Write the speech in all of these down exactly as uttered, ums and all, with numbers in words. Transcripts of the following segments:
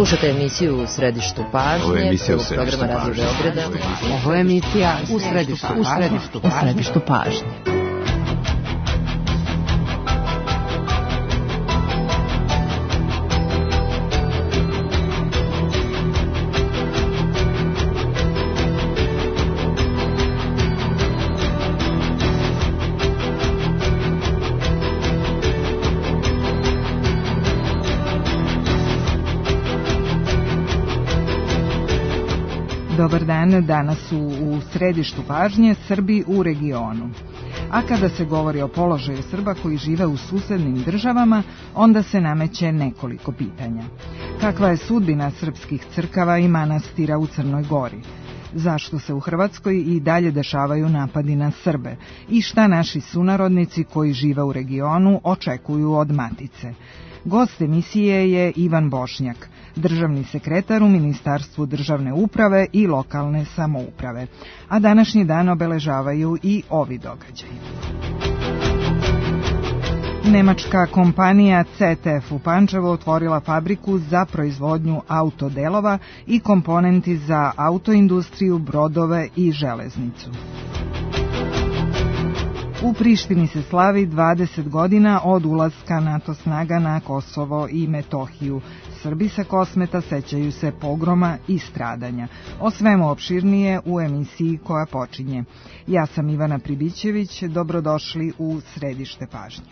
Slušate emisiju U središtu pažnje, prvog programa Radio Beograda. Ovo je emisija U središtu, u središtu, u središtu pažnje. Dobar dan, danas su u središtu pažnje Srbi u regionu. A kada se govori o položaju Srba koji žive u susednim državama, onda se nameće nekoliko pitanja. Kakva je sudbina srpskih crkava i manastira u Crnoj Gori? Zašto se u Hrvatskoj i dalje dešavaju napadi na Srbe? I šta naši sunarodnici koji žive u regionu očekuju od Matice? Gost emisije je Ivan Bošnjak, državni sekretar u Ministarstvu državne uprave i lokalne samouprave. A današnji dan obeležavaju i ovi događaji. Nemačka kompanija C T F u Pančevu otvorila fabriku za proizvodnju autodelova i komponenti za autoindustriju, brodove i železnicu. U Prištini se slavi dvadeset godina od ulaska NATO snaga na Kosovo i Metohiju. Srbi sa Kosmeta sećaju se pogroma i stradanja. O svemu opširnije u emisiji koja počinje. Ja sam Ivana Pribićević, dobrodošli u središte pažnje.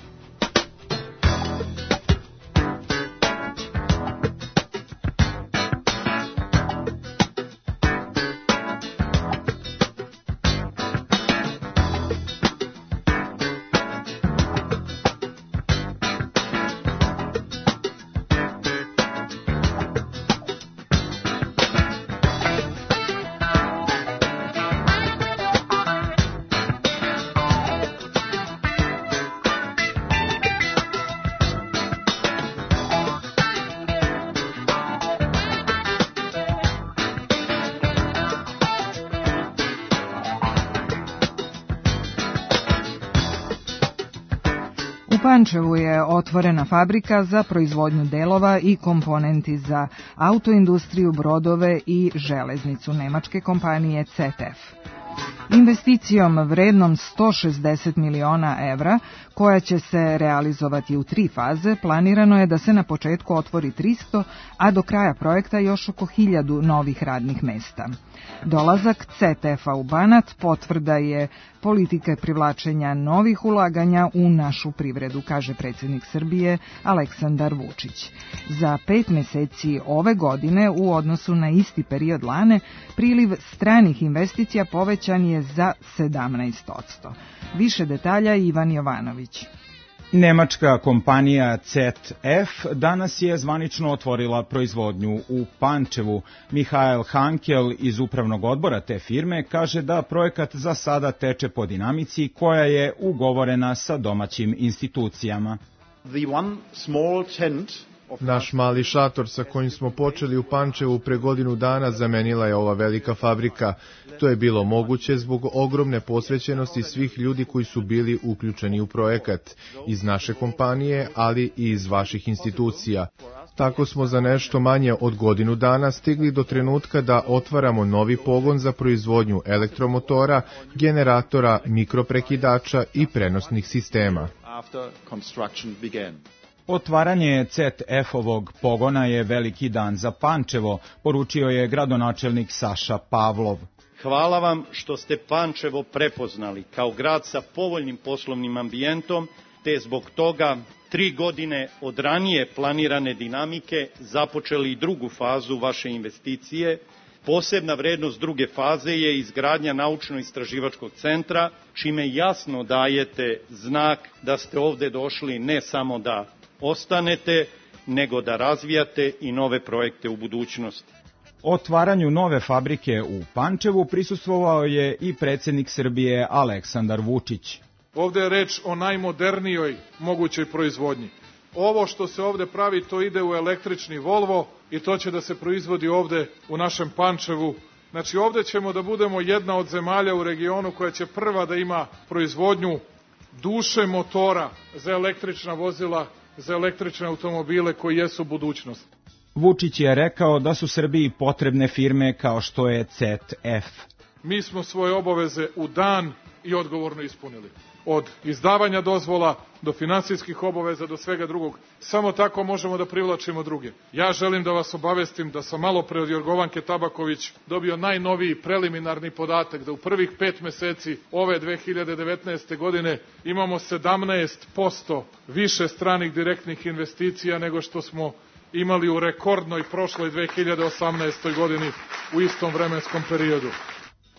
U Pančevu je otvorena fabrika za proizvodnju delova i komponenti za autoindustriju, brodove i železnicu nemačke kompanije C T F. Investicijom vrednom sto šezdeset miliona evra, koja će se realizovati u tri faze, planirano je da se na početku otvori tristo, a do kraja projekta još oko hiljadu novih radnih mesta. Dolazak C T F-a u Banat potvrda je politike privlačenja novih ulaganja u našu privredu, kaže predsjednik Srbije Aleksandar Vučić. Za pet meseci ove godine u odnosu na isti period lane, priliv stranih investicija povećan je za sedamnaest posto. Više detalja Ivan Jovanović. Nemačka kompanija C T F danas je zvanično otvorila proizvodnju u Pančevu. Mihael Hankel iz upravnog odbora te firme kaže da projekat za sada teče po dinamici koja je ugovorena sa domaćim institucijama. Naš mali šator sa kojim smo počeli u Pančevu pre godinu dana zamenila je ova velika fabrika. To je bilo moguće zbog ogromne posvećenosti svih ljudi koji su bili uključeni u projekat, iz naše kompanije, ali i iz vaših institucija. Tako smo za nešto manje od godinu dana stigli do trenutka da otvaramo novi pogon za proizvodnju elektromotora, generatora, mikroprekidača i prenosnih sistema. Otvaranje C T F-ovog pogona je veliki dan za Pančevo, poručio je gradonačelnik Saša Pavlov. Hvala vam što ste Pančevo prepoznali kao grad sa povoljnim poslovnim ambijentom, te zbog toga tri godine od ranije planirane dinamike započeli i drugu fazu vaše investicije. Posebna vrednost druge faze je izgradnja naučno-istraživačkog centra, čime jasno dajete znak da ste ovde došli ne samo da ostanete, nego da razvijate i nove projekte u budućnosti. Otvaranju nove fabrike u Pančevu prisustvovao je i predsjednik Srbije Aleksandar Vučić. Ovde je reč o najmodernijoj mogućoj proizvodnji. Ovo što se ovde pravi, to ide u električni Volvo i to će da se proizvodi ovde u našem Pančevu. Znači ovde ćemo da budemo jedna od zemalja u regionu koja će prva da ima proizvodnju duše motora za električna vozila, za električne automobile koji jesu budućnost. Vučić je rekao da su Srbiji potrebne firme kao što je C E T F. Mi smo svoje obaveze u dan i odgovorno ispunili. Od izdavanja dozvola do finansijskih obaveza do svega drugog. Samo tako možemo da privlačimo druge. Ja želim da vas obavestim da sam malo pre od Jorgovanke Tabaković dobio najnoviji preliminarni podatak da u prvih pet meseci ove dve hiljade devetnaeste. godine imamo sedamnaest posto više stranih direktnih investicija nego što smo imali u rekordnoj prošloj dve hiljade osamnaestoj. godini u istom vremenskom periodu.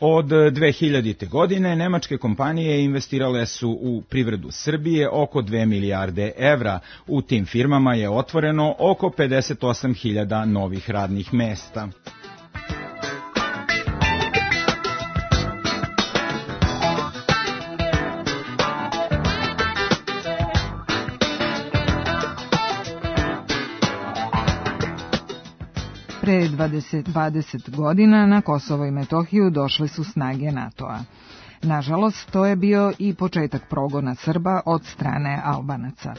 Od dve hiljadite. godine nemačke kompanije investirale su u privredu Srbije oko dve milijarde evra. U tim firmama je otvoreno oko pedeset osam hiljada novih radnih mesta. Pre dvadeset godina na Kosovo i Metohiju došle su snage NATO-a. Nažalost, to je bio i početak progona Srba od strane Albanaca.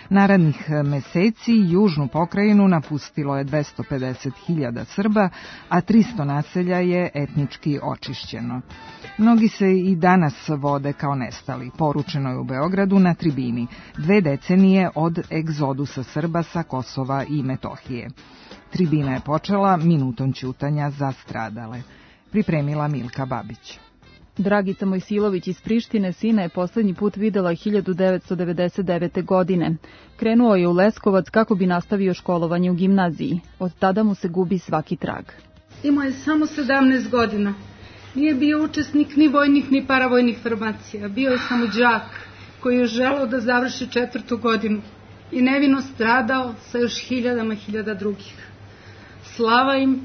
Narednih meseci južnu pokrajinu napustilo je dvesta pedeset hiljada Srba, a tristo naselja je etnički očišćeno. Mnogi se i danas vode kao nestali, poručeno je u Beogradu na tribini, dve decenije od egzodusa Srba sa Kosova i Metohije. Tribina je počela minutom ćutanja za stradale. Pripremila Milka Babić. Dragica Mojsilović iz Prištine sina je poslednji put videla hiljadu devetsto devedeset devete. godine. Krenuo je u Leskovac kako bi nastavio školovanje u gimnaziji. Od tada mu se gubi svaki trag. Imao je samo sedamnaest godina. Nije bio učesnik ni vojnih ni paravojnih formacija. Bio je samo đak koji je želeo da završi četvrtu godinu i nevino stradao sa još hiljadama hiljada drugih. Slava im,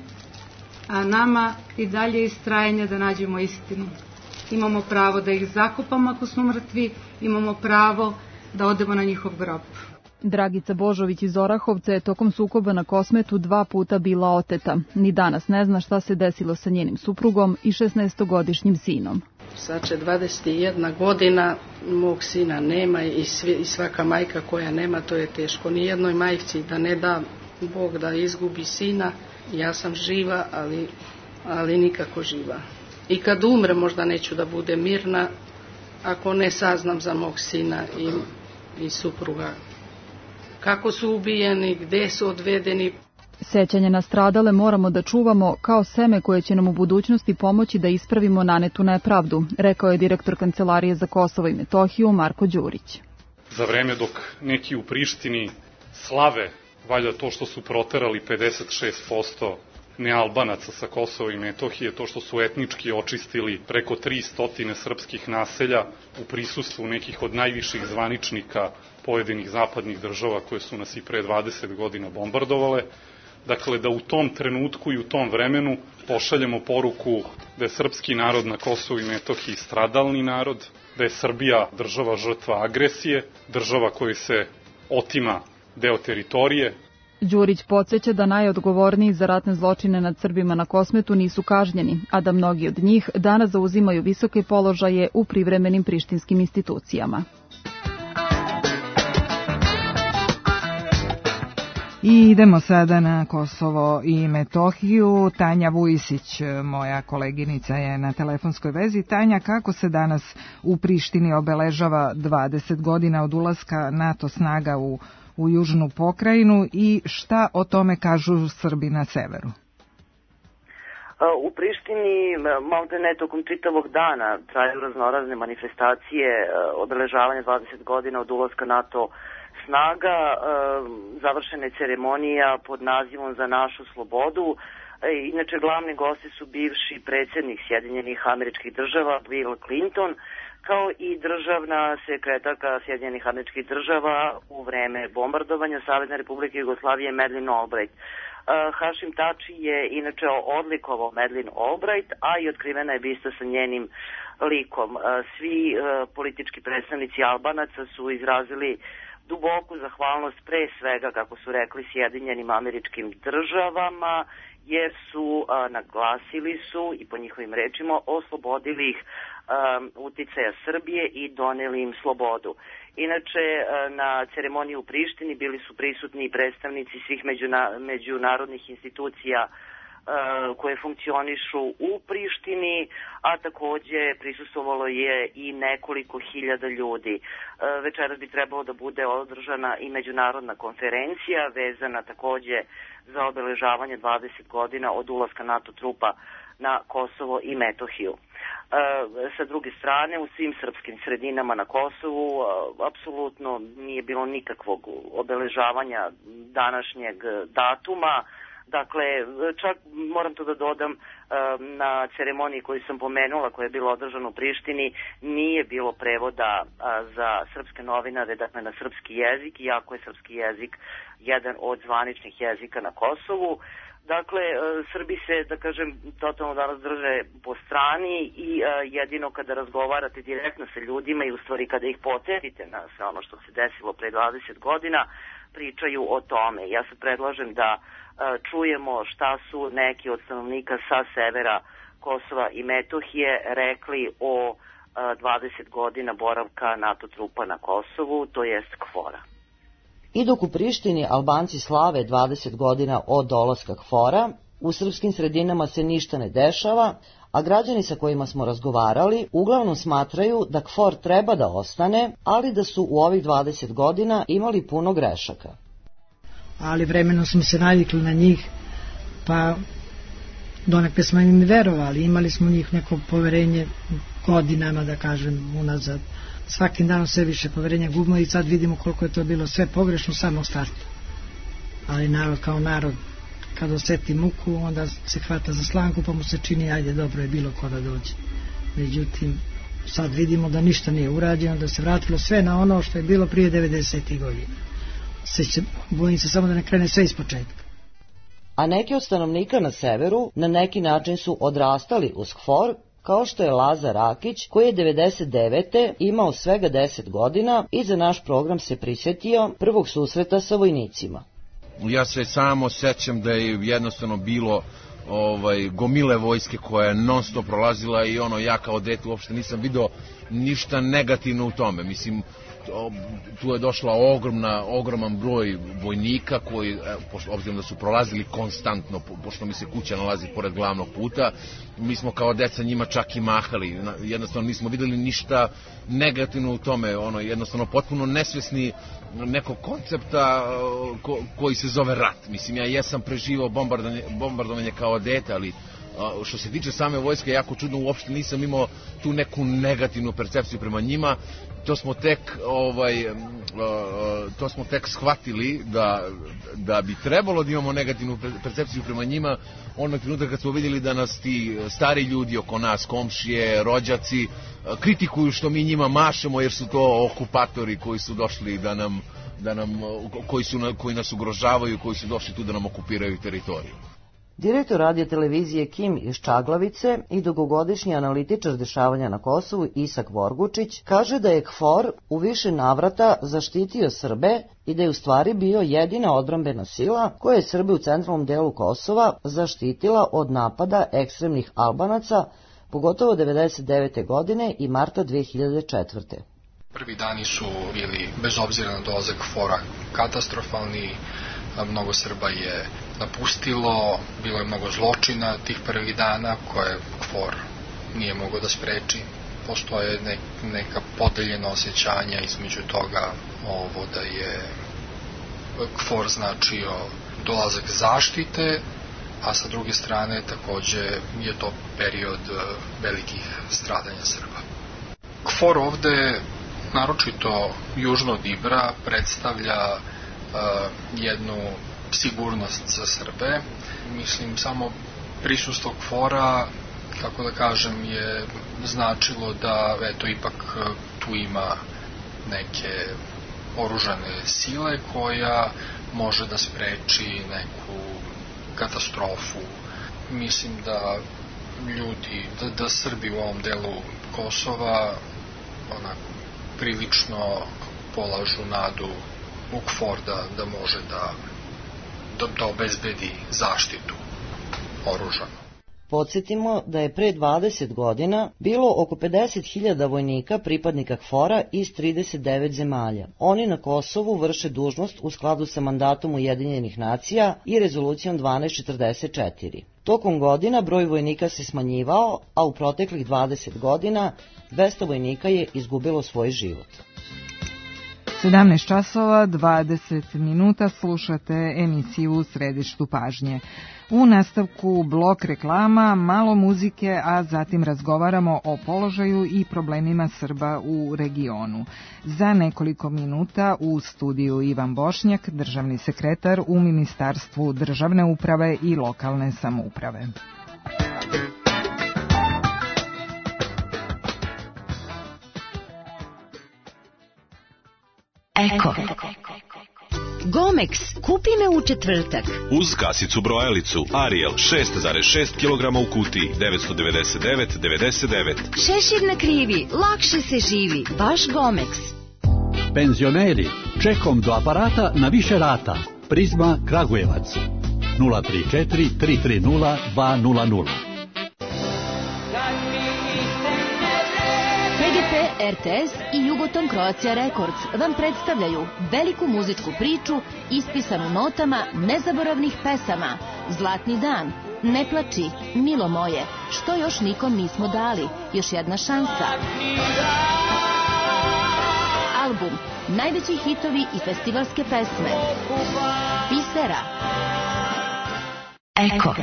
a nama i dalje istrajanje da nađemo istinu. Imamo pravo da ih zakopamo ako smo mrtvi, imamo pravo da odemo na njihov grob. Dragica Božović iz Orahovca je tokom sukoba na Kosmetu dva puta bila oteta. Ni danas ne zna šta se desilo sa njenim suprugom i šesnaestogodišnjim sinom. Sad će dvadeset jedna godina, mog sina nema i, svi, i svaka majka koja nema, to je teško. Nijednoj majci da ne da Bog da izgubi sina. Ja sam živa, ali, ali nikako živa. I kad umre možda neću da bude mirna ako ne saznam za mog sina i, i supruga. Kako su ubijeni, gde su odvedeni. Sećanje na stradale moramo da čuvamo kao seme koje će nam u budućnosti pomoći da ispravimo nanetu nepravdu, rekao je direktor Kancelarije za Kosovo i Metohiju Marko Đurić. Za vreme dok neki u Prištini slave valjda to što su proterali pedeset šest posto nealbanaca sa Kosova i Metohije, to što su etnički očistili preko tristo srpskih naselja u prisustvu nekih od najviših zvaničnika pojedinih zapadnih država koje su nas i pre dvadeset godina bombardovale. Dakle, da u tom trenutku i u tom vremenu pošaljemo poruku da je srpski narod na Kosovu i Metohiji stradalni narod, da je Srbija država žrtva agresije, država koji se otima deo teritorije. Đurić podsjeća da najodgovorniji za ratne zločine nad Srbima na Kosmetu nisu kažnjeni, a da mnogi od njih danas zauzimaju visoke položaje u privremenim prištinskim institucijama. I idemo sada na Kosovo i Metohiju. Tanja Vujisić, moja koleginica, je na telefonskoj vezi. Tanja, kako se danas u Prištini obeležava dvadeset godina od ulaska NATO snaga u, u južnu pokrajinu i šta o tome kažu Srbi na severu? U Prištini malte ne tokom čitavog dana traju raznorazne manifestacije obeležavanja dvadeset godina od ulaska NATO snaga. Završena je ceremonija pod nazivom Za našu slobodu. Inače, glavni gosti su bivši predsjednik Sjedinjenih Američkih Država Bill Clinton, kao i državna sekretarka Sjedinjenih Američkih Država u vreme bombardovanja Savezne Republike Jugoslavije Madeleine Albright. Hašim Tači je inače odlikovao Madeleine Albright, a i otkrivena je bista sa njenim likom. Svi politički predstavnici Albanaca su izrazili duboku zahvalnost pre svega, kako su rekli, Sjedinjenim Američkim Državama, jer su a, naglasili su i po njihovim rečima oslobodili ih a, uticaja Srbije i doneli im slobodu. Inače, na ceremoniji u Prištini bili su prisutni i predstavnici svih međunarodnih institucija koje funkcionišu u Prištini, a takođe prisustvovalo je i nekoliko hiljada ljudi. Večeras bi trebalo da bude održana i međunarodna konferencija vezana takođe za obeležavanje dvadeset godina od ulaska NATO trupa na Kosovo i Metohiju. Sa druge strane, u svim srpskim sredinama na Kosovu apsolutno nije bilo nikakvog obeležavanja današnjeg datuma. Dakle, čak moram to da dodam, na ceremoniji koju sam pomenula, koja je bila održana u Prištini, nije bilo prevoda za srpske novinare, dakle na srpski jezik, iako je srpski jezik jedan od zvaničnih jezika na Kosovu. Dakle, Srbi se, da kažem, totalno danas drže po strani i jedino kada razgovarate direktno sa ljudima i u stvari kada ih podsjetite na sve ono što se desilo pre dvadeset godina, pričaju o tome. Ja se predlažem da čujemo šta su neki od stanovnika sa severa Kosova i Metohije rekli o dvadeset godina boravka NATO trupa na Kosovu, to jest KFOR-a. I dok u Prištini Albanci slave dvadeset godina od dolaska KFOR-a, u srpskim sredinama se ništa ne dešava, a građani sa kojima smo razgovarali uglavnom smatraju da KFOR treba da ostane, ali da su u ovih dvadeset godina imali puno grešaka. Ali vremenom smo se navikli na njih, pa donekle smo im verovali, imali smo u njih neko poverenje godinama, da kažem, unazad. Svakim danom sve više poverenja gubimo i sad vidimo koliko je to bilo sve pogrešno samo u startu. Ali narod kao narod, kad oseti muku, onda se hvata za slanku, pa mu se čini, ajde, dobro je bilo ko da dođe. Međutim, sad vidimo da ništa nije urađeno, da se vratilo sve na ono što je bilo prije devedesetih godina. Se, bojim se samo da ne krene sve iz početka. A neki od stanovnika na severu na neki način su odrastali uz KFOR, kao što je Lazar Rakić, koji je devedeset devete imao svega deset godina i za naš program se prisjetio prvog susreta sa vojnicima. Ja se samo sećam da je jednostavno bilo ovaj, gomile vojske koja je non stop prolazila i ono, ja kao dete uopšte nisam video ništa negativno u tome. Mislim, tu je došla ogromna, ogroman broj vojnika koji, obzirom da su prolazili konstantno, pošto mi se kuća nalazi pored glavnog puta, mi smo kao deca njima čak i mahali, jednostavno nismo videli ništa negativno u tome, ono, jednostavno potpuno nesvesni nekog koncepta ko, koji se zove rat. Mislim, ja jesam preživao bombardovanje, bombardovanje kao dete, ali što se tiče same vojske, jako čudno, uopšte nisam imao tu neku negativnu percepciju prema njima. To smo tek ovaj to smo tek shvatili da da bi trebalo da imamo negativnu percepciju prema njima onog trenutka kad smo vidjeli da nas ti stari ljudi oko nas, komšije, rođaci, kritikuju što mi njima mašemo jer su to okupatori koji su došli da nam da nam koji su koji nas ugrožavaju, koji su došli tu da nam okupiraju teritoriju. Direktor radio televizije Kim iz Čaglavice i dugogodišnji analitičar dešavanja na Kosovu Isak Vorgučić kaže da je KFOR u više navrata zaštitio Srbe i da je u stvari bio jedina odbrambena sila koja je Srbe u centralnom delu Kosova zaštitila od napada ekstremnih Albanaca, pogotovo devedeset devete godine i marta dve hiljade četvrte. Prvi dani su bili, bez obzira na dolazak KFOR-a, katastrofalni. Mnogo Srba je napustilo, bilo je mnogo zločina tih prvih dana koje KFOR nije mogao da spreči. Postoje ne, neka podeljena osjećanja između toga ovo da je KFOR značio dolazak zaštite, a sa druge strane takođe je to period velikih stradanja Srba. KFOR ovde, naročito južno od Ibra, predstavlja Uh, jednu sigurnost za Srbe. Mislim, samo prisustvo KFOR-a, kako da kažem, je značilo da eto, ipak tu ima neke oružane sile koja može da spreči neku katastrofu. Mislim da ljudi, da, da Srbi u ovom delu Kosova onako prilično polažu nadu u KFOR da, da može da, da, da obezbedi zaštitu oružanu. Podsjetimo da je pre dvadeset godina bilo oko pedeset hiljada vojnika pripadnika KFOR-a iz trideset devet zemalja. Oni na Kosovu vrše dužnost u skladu sa mandatom Ujedinjenih nacija i rezolucijom dvanaest četrdeset četiri. Tokom godina broj vojnika se smanjivao, a u proteklih dvadeset godina dvesta vojnika je izgubilo svoj život. sedamnaest časova dvadeset minuta slušate emisiju U središtu pažnje. U nastavku blok reklama, malo muzike, a zatim razgovaramo o položaju i problemima Srba u regionu. Za nekoliko minuta u studiju Ivan Bošnjak, državni sekretar u Ministarstvu državne uprave i lokalne samouprave. Eko. Gomex, kupi me u četvrtak. Uz kasicu brojalicu Ariel šest zarez šest kilograma u kutiji devetsto devedeset devet devedeset devet. Šešir na krivi, lakše se živi, baš Gomex. Penzioneri, čekom do aparata na više rata. Prizma Kragujevac nula tri četiri tri tri nula dva nula nula. P G P, R T S i Jugoton Croatia Records vam predstavljaju veliku muzičku priču ispisanu notama nezaboravnih pesama. Zlatni dan, Ne plači, Milo moje, Što još nikom nismo dali, Još jedna šansa. Album, najveći hitovi i festivalske pesme. Bisera. Eko.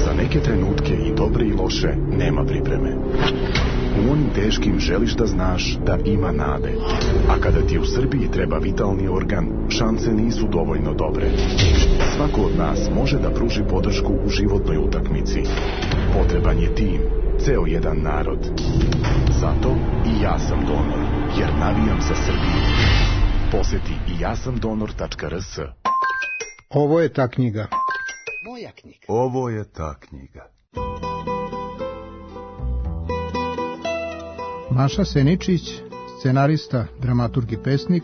Za neke trenutke i dobre i loše nema pripreme. U onim teškim želiš da znaš da ima nade. A kada ti u Srbiji treba vitalni organ, šanse nisu dovoljno dobre. Svako od nas može da pruži podršku u životnoj utakmici. Potreban je tim, ceo jedan narod. Zato i ja sam donor, jer navijam za Srbiju. Poseti i ja sam donor tačka r s. Ovo je ta knjiga. Moja knjiga. Ovo je ta knjiga. Maša Seničić, scenarista, dramaturg i pesnik,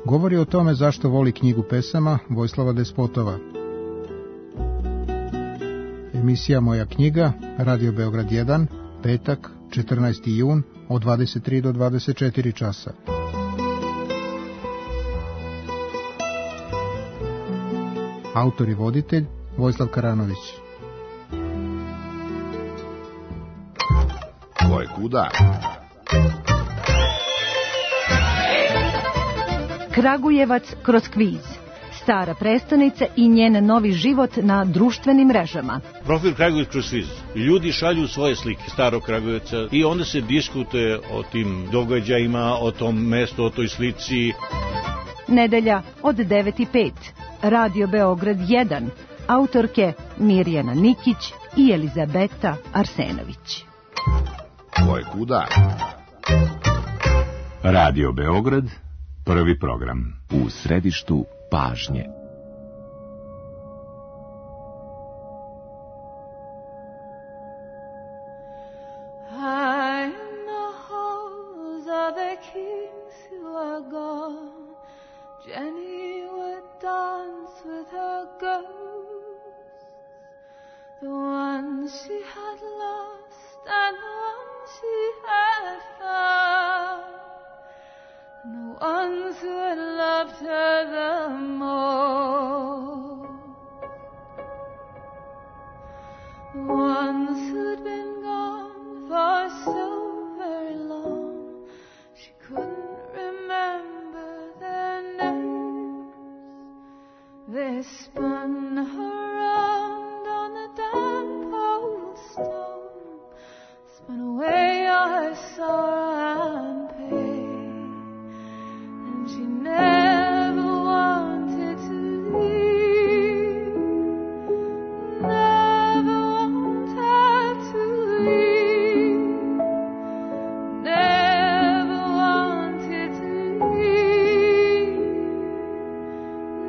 govori o tome zašto voli knjigu pesama Vojislava Despotova. Emisija Moja knjiga, Radio Beograd jedan, petak, četrnaesti jun, od dvadeset tri do dvadeset četiri časa. Autor i voditelj Vojislav Karanović. Ko je kuda? Kragujevac kroz kviz. Stara prestonica i njen novi život na društvenim mrežama. Profil Kragujevac kroz kviz. Ljudi šalju svoje slike starog Kragujevca i onda se diskutuje o tim događajima, o tom mestu, o toj slici. Nedelja od devet i pet. Radio Beograd jedan. Autorke Mirjana Nikić i Elizabeta Arsenović. Ko je kuda? Radio Beograd, prvi program. U središtu pažnje. Jenny would dance with her ghosts, the ones she had lost and the ones she had found, and the ones who had loved her the most, the ones who'd been gone for so very long, she couldn't remember their names. They spun her round on the damp old stone, spun away all her sorrow and pain, and she never wanted to leave, never wanted to leave, never wanted to leave,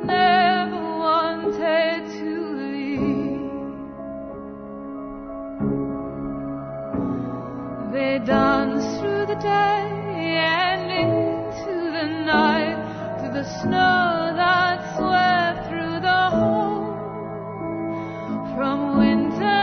never wanted to leave. They danced through the day and into the night, through the snow that swept through the hole, from winter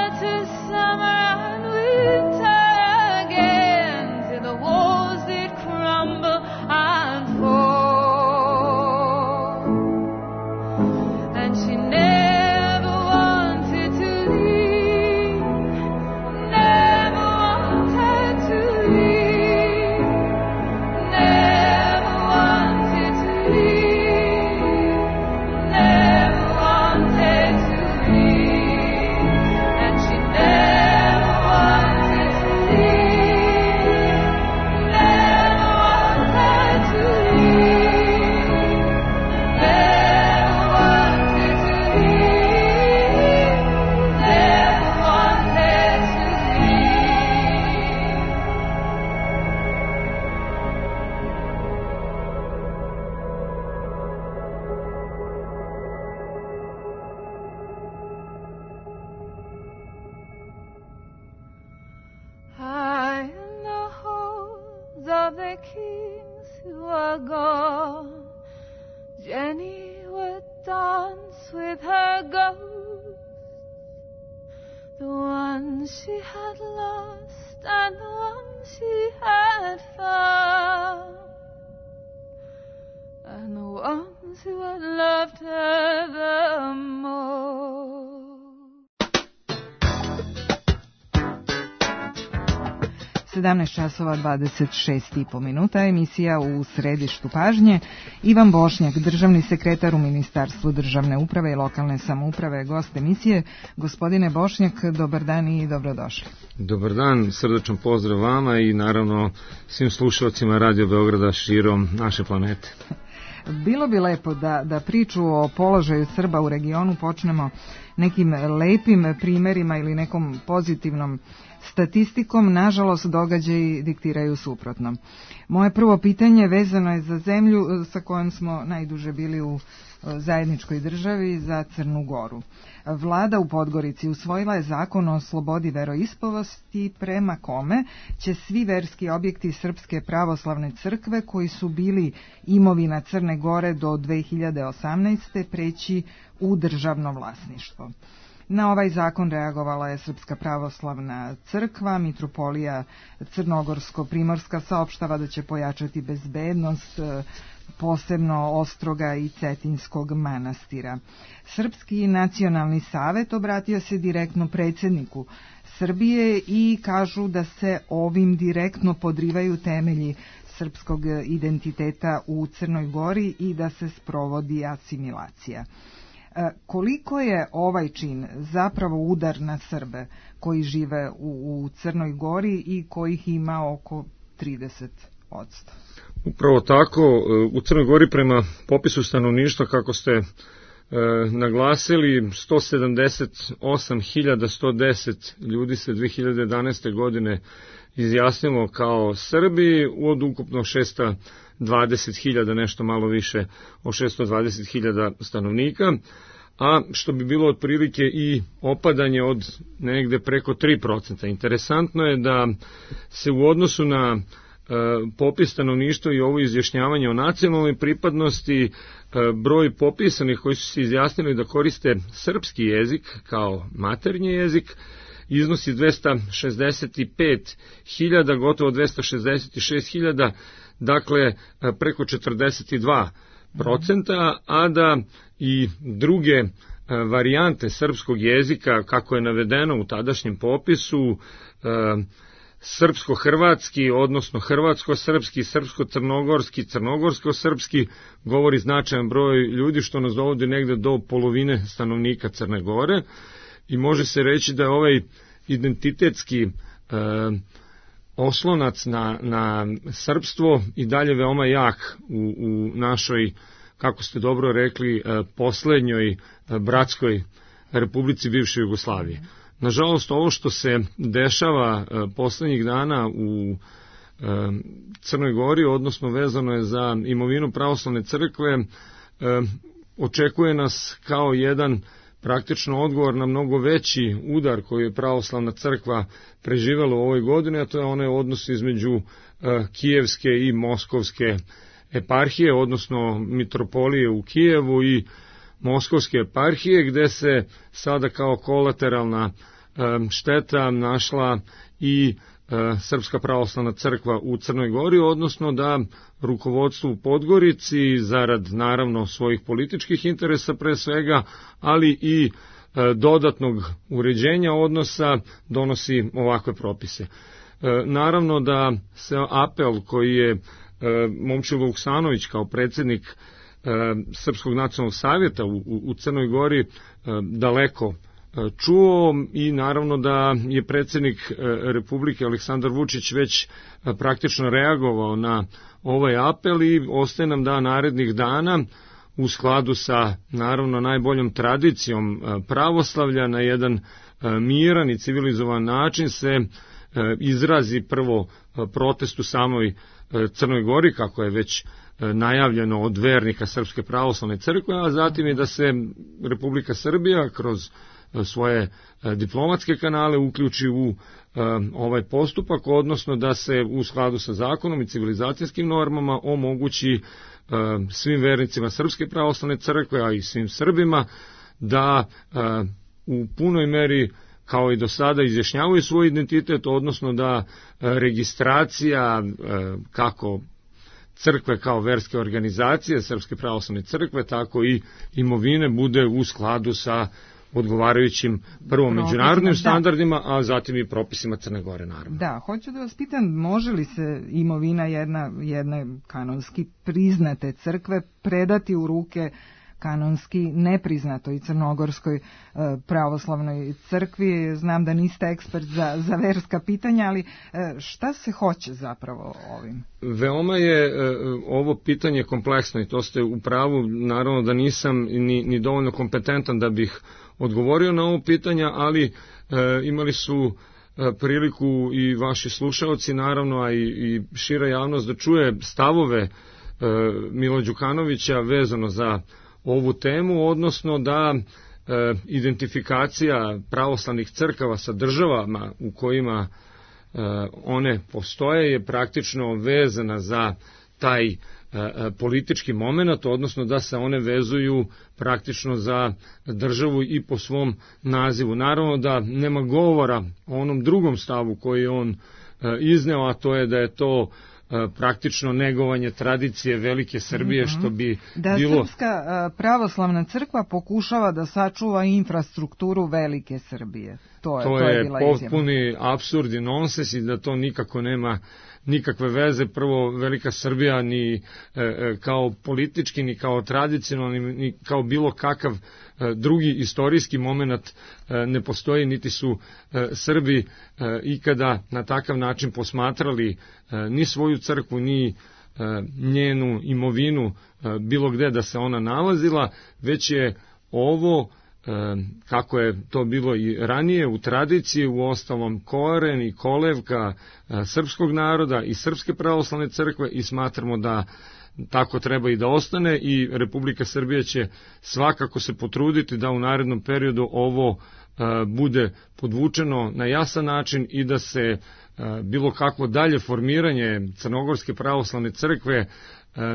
once with her ghost, the one she had lost and the one she had found, and the ones who had loved her the most. sedamnaest časova dvadeset šest i po minuta, emisija U središtu pažnje. Ivan Bošnjak, državni sekretar u Ministarstvu državne uprave i lokalne samouprave, gost emisije. Gospodine Bošnjak, dobar dan i dobrodošli. Dobar dan, srdačan pozdrav vama i naravno svim slušalcima Radio Beograda širom naše planete. Bilo bi lepo da, da priču o položaju Srba u regionu počnemo nekim lepim primerima ili nekom pozitivnom statistikom. Nažalost, događaji diktiraju suprotno. Moje prvo pitanje vezano je za zemlju sa kojom smo najduže bili u zajedničkoj državi, za Crnu Goru. Vlada u Podgorici usvojila je zakon o slobodi veroispovesti prema kome će svi verski objekti Srpske pravoslavne crkve koji su bili imovina Crne Gore do dve hiljade osamnaeste. preći u državno vlasništvo. Na ovaj zakon reagovala je Srpska pravoslavna crkva. Mitropolija Crnogorsko-Primorska saopštava da će pojačati bezbednost posebno Ostroga i Cetinskog manastira. Srpski nacionalni savet obratio se direktno predsjedniku Srbije i kažu da se ovim direktno podrivaju temelji srpskog identiteta u Crnoj Gori i da se sprovodi asimilacija. Koliko je ovaj čin zapravo udar na Srbe koji žive u, u Crnoj Gori i kojih ima oko trideset posto? Upravo tako, u Crnoj Gori prema popisu stanovništva, kako ste e, naglasili, sto sedamdeset osam hiljada sto deset ljudi se dve hiljade jedanaeste. godine izjasnilo kao Srbi od ukupno šesto dvadeset hiljada, nešto malo više od šesto dvadeset hiljada stanovnika, a što bi bilo otprilike i opadanje od negde preko tri procenta. Interesantno je da se u odnosu na e, popis stanovništva i ovo izjašnjavanje o nacionalnoj pripadnosti, e, broj popisanih koji su se izjasnili da koriste srpski jezik kao maternji jezik iznosi dvesta šezdeset pet hiljada, gotovo dvesta šezdeset šest hiljada, dakle preko četrdeset dva procenta, a da i druge varijante srpskog jezika, kako je navedeno u tadašnjem popisu, srpsko-hrvatski, odnosno hrvatsko-srpski, srpsko-crnogorski, crnogorsko-srpski, govori značajan broj ljudi, što nas dovodi negde do polovine stanovnika Crne Gore. I može se reći da je ovaj identitetski e, oslonac na, na srpstvo i dalje veoma jak u, u našoj, kako ste dobro rekli, e, poslednjoj e, bratskoj republici bivše Jugoslavije. Nažalost, ovo što se dešava e, poslednjih dana u e, Crnoj Gori, odnosno vezano je za imovinu pravoslavne crkve, e, očekuje nas kao jedan praktično odgovor na mnogo veći udar koji je pravoslavna crkva preživela u ovoj godini, a to je onaj odnos između uh, kijevske i moskovske eparhije, odnosno mitropolije u Kijevu i moskovske eparhije, gde se sada kao kolateralna um, šteta našla i uh, Srpska pravoslavna crkva u Crnoj Gori, odnosno da rukovodstvo u Podgorici, zarad naravno svojih političkih interesa pre svega, ali i e, dodatnog uređenja odnosa, donosi ovakve propise. E, naravno da se apel koji je e, Momčilo Vuksanović kao predsjednik e, Srpskog nacionalnog savjeta u, u, u Crnoj Gori e, daleko čuo i naravno da je predsjednik Republike Aleksandar Vučić već praktično reagovao na ovaj apel i ostaje nam da narednih dana u skladu sa naravno najboljom tradicijom pravoslavlja na jedan miran i civilizovan način se izrazi prvo protest u samoj Crnoj Gori, kako je već najavljeno od vernika Srpske pravoslavne crkve, a zatim i da se Republika Srbija kroz svoje diplomatske kanale uključi u ovaj postupak, odnosno da se u skladu sa zakonom i civilizacijskim normama omogući svim vernicima Srpske pravoslavne crkve, a i svim Srbima, da u punoj meri kao i do sada izjašnjavaju svoj identitet, odnosno da registracija kako crkve kao verske organizacije, Srpske pravoslavne crkve, tako i imovine bude u skladu sa odgovarajućim prvo međunarodnim standardima, a zatim i propisima Crne Gore, naravno. Da, hoću da vas pitam, može li se imovina jedna, jedne kanonski priznate crkve predati u ruke kanonski nepriznatoj crnogorskoj e, pravoslavnoj crkvi? Znam da niste ekspert za, za verska pitanja, ali e, šta se hoće zapravo ovim? Veoma je e, ovo pitanje kompleksno i to ste u pravu, naravno da nisam ni, ni dovoljno kompetentan da bih odgovorio na ovo pitanja, ali e, imali su e, priliku i vaši slušaoci, naravno, a i, i šira javnost da čuje stavove e, Mila Đukanovića vezano za ovu temu, odnosno da e, identifikacija pravoslavnih crkava sa državama u kojima e, one postoje je praktično vezana za taj e, politički moment, odnosno da se one vezuju praktično za državu i po svom nazivu. Naravno da nema govora o onom drugom stavu koji je on e, izneo, a to je da je to praktično negovanje tradicije velike Srbije, što bi da bilo... Srpska pravoslavna crkva pokušava da sačuva infrastrukturu velike Srbije. To je, to to je, je bila potpuni apsurd i nonsens i da to nikako nema nikakve veze. Prvo, velika Srbija ni e, kao politički, ni kao tradicionalni, ni kao bilo kakav e, drugi istorijski moment e, ne postoji, niti su e, Srbi e, ikada na takav način posmatrali e, ni svoju crkvu, ni e, njenu imovinu e, bilo gde da se ona nalazila, već je ovo, kako je to bilo i ranije u tradiciji, u ostalom koren i kolevka srpskog naroda i Srpske pravoslavne crkve, i smatramo da tako treba i da ostane, i Republika Srbija će svakako se potruditi da u narednom periodu ovo bude podvučeno na jasan način i da se bilo kakvo dalje formiranje Crnogorske pravoslavne crkve